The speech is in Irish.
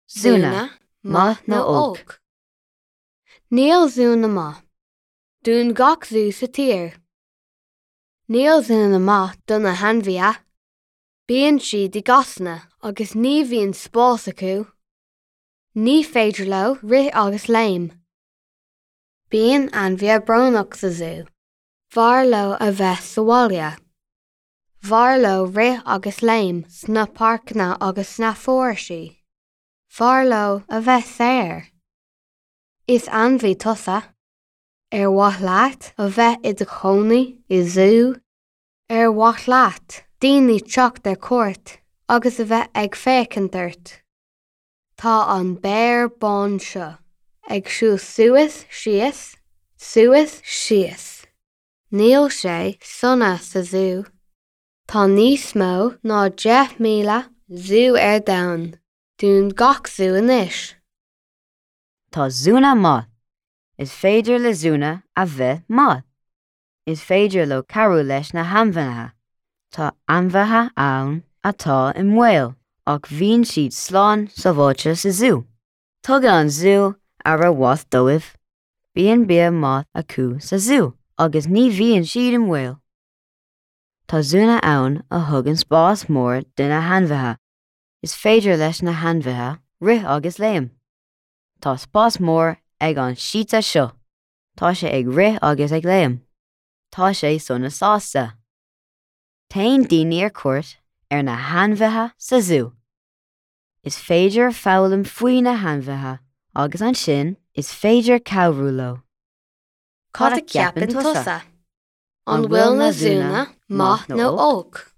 Zúnna, maith nó olc? Níl zúnna maith. Dún gach zú sa tír. Níl zúnna maith do na hainmhithe. Bíonn siad i gcásanna agus ní bhíonn spás acu. Ní féidir leo rith agus léim. Bíonn ainmhithe brónach sa zú. B'fhearr leo a bheith sa bhaile. B'fhearr leo rith agus léim sna páirceanna agus sna foraoisí. B'fhearr leo a bheith saor. Is ainmhí tusa. Ar mhaith leat a bheith i do chónaí i zú? Ar mhaith leat daoine teacht ar cuairt agus a bheith ag féachaint ort? Tá an béar bán seo ag siúl suas síos, suas síos. Níl sé sona sa zú. Tá níos mó ná 10,000 zú ar domhan. Dún gach zú anois. Tá zúnna maith. Is féidir le zúnna a bheith maith. Is féidir leo cabhrú leis na hainmhithe. Tá ainmhithe ann atá i mbaol ach bíonn siad slán sábháilte sa zú. Tugann an zú aire mhaith dóibh. Bíonn bia maith acu sa zú agus ní bhíonn siad i mbaol. Tá zúnna ann a thugann spás mór do na hainmhithe. Is féidir leis na hainmhithe rith agus léim. Tá spás mór ag an síte seo. Tá sé ag rith agus ag léim. Tá sé sona sásta. Téann daoine ar cuairt ar na hainmhithe sa zú. Is féidir foghlaim faoi na hainmhithe agus ansin is féidir cabhrú leo. Cad a cheapann tusa? An bhfuil na zúnna maith nó olc?